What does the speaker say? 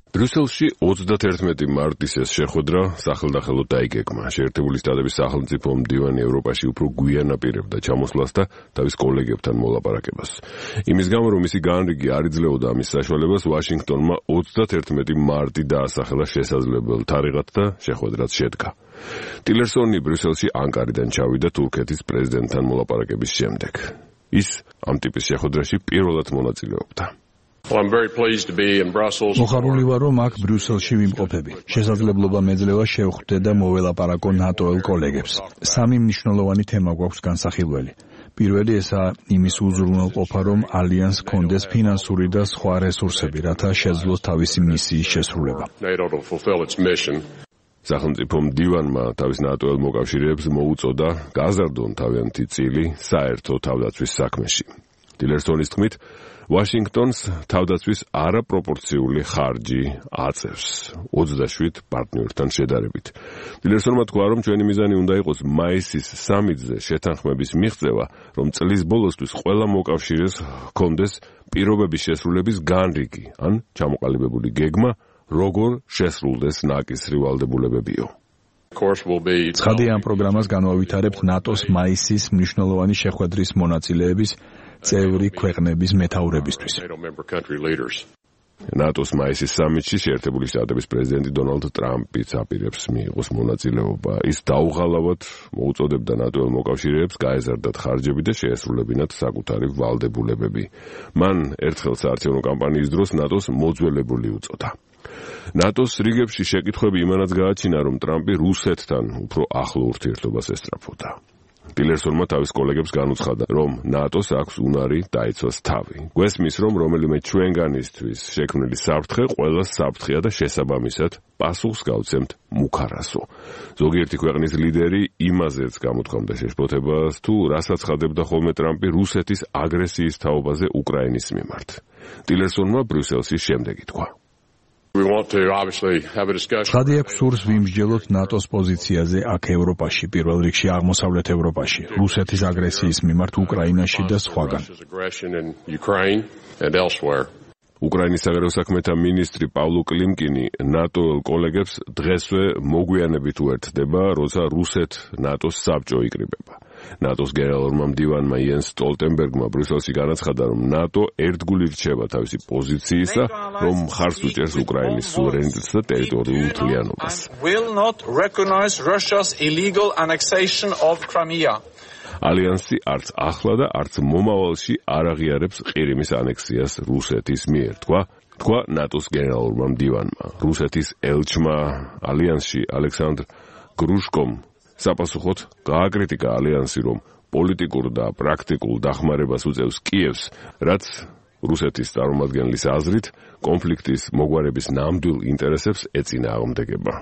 ბრიუსელში 31 მარტის ეს შეხვედრა სახელდახელოდ დაიგეგმა. შეერთებული შტატების სახელმწიფო მდივანი ევროპაში უფრო გვიან აპირებდა ჩამოსვლას და თავის კოლეგებთან მოლაპარაკებას. იმის გამო, რომ მისი განრიგი არ იძლეოდა ამის საშუალებას, ვაშინგტონმა 31 მარტი დაასახელა შესაძლებელ თარიღად და შეხვედრაც შედგა. ტილერსონი ბრიუსელში ანკარიდან ჩავიდა თურქეთის პრეზიდენტთან მოლაპარაკების შემდეგ. ის ამ ტიპის შეხვედრაში პირველად მონაწილეობდა. მოხარული ვარ, რომ აქ ბრიუსელში ვიმყოფები. შესაძლებლობა მეძლევა შევხვდე და მოველაპარაკო ნატოელ კოლეგებს. სამი მნიშვნელოვანი თემა გვაქვს განსახილველი. პირველი ესაა იმის უზრუნველყოფა, რომ ალიანსს ჰქონდეს ფინანსური და სხვა რესურსები, რათა შეძლოს თავისი მისიის შესრულება. სახელმწიფო მდივანმა თავის ნატოელ მოკავშირეებს მოუწოდა გაზარდონ თავიანთი წილი საერთო თავდაცვის საქმეში. ტილერსონის თქმით, ვაშინგტონს თავდაცვის არაპროპორციული ხარჯი აწევს 27 პარტნიორთან შედარებით. ტილერსონმა თქვა, რომ ჩვენი მიზანი უნდა იყოს მაისის სამიტზე შეთანხმების მიღწევა, რომ წლის ბოლოსთვის ყველა მოკავშირეს ჰქონდეს პირობების შესრულების განრიგი, ან ჩამოყალიბებული გეგმა, როგორ შესრულდეს ნაკისრი ვალდებულებებიო. ცხადია, ამ პროგრამას განვავითარებთ ნატოს მაისის მნიშვნელოვანი შეხვედრის მონაწილეების წევრი ქვეყნების მეთაურებისთვის. ნატოს მაისის სამიტში შეერთებული შტატების პრეზიდენტი დონალდ ტრამპიც აპირებს მიიღოს მონაწილეობა. ის დაუღალავად მოუწოდებდა ნატოელ მოკავშირეებს გაეზარდათ ხარჯები და შეესრულებინათ საკუთარი ვალდებულებები. მან ერთხელ საარჩევნო კამპანიის დროს ნატოს მოძველებული უწოდა. ნატოს რიგებში შეკითხვები იმანაც გააჩინა, რომ ტრამპი რუსეთთან უფრო ახლო ურთიერთობას ესწრაფოდა. ტილერსონმა თავის კოლეგებს განუცხადა, რომ ნატოს აქვს უნარი დაიცვას თავი. გვესმის, რომ რომელიმე ჩვენგანისთვის შექმნილი საფრთხე ყველას საფრთხეა და შესაბამისად პასუხს გავცემთ მუქარასო. ზოგიერთი ქვეყნის ლიდერი იმაზეც გამოთქვამდა შეშფოთებას, თუ რასაც ხადებდა ხოლმე ტრამპი რუსეთის აგრესიის თაობაზე უკრაინის მიმართ. ტილერსონმა ბრიუსელში შემდეგი თქვა. ცხადია, გვსურს ვიმსჯელოთ ნატოს პოზიციაზე აქ ევროპაში, პირველ რიგში აღმოსავლეთ ევროპაში, რუსეთის აგრესიის მიმართ უკრაინაში და სხვაგან. უკრაინის საგარეო საქმეთა მინისტრი პავლო კლიმკინი ნატოელ კოლეგებს დღესვე მოგვიანებით უერთდება, როცა რუსეთ-ნატოს საბჭო იკრიბება. ნატოს გენერალურმა მდივანმა იენს სტოლტენბერგმა ბრიუსელში განაცხადა, რომ ნატო ერთგული რჩება თავისი პოზიციისა, რომ მხარს უჭერს უკრაინის სუვერენიტეტს და ტერიტორიულ მთლიანობას. ალიანსი არც ახლა და არც მომავალში არ აღიარებს ყირიმის ანექსიას რუსეთის მიერ, თქვა ნატოს გენერალურმა მდივანმა. რუსეთის ელჩმა ალიანსში ალექსანდრ გრუშკომ საპასუხოდ გააკრიტიკა ალიანსი, რომ პოლიტიკურ და პრაქტიკულ დახმარებას უწევს კიევს, რაც რუსეთის წარმომადგენლის აზრით კონფლიქტის მოგვარების ნამდვილ ინტერესებს ეწინააღმდეგება.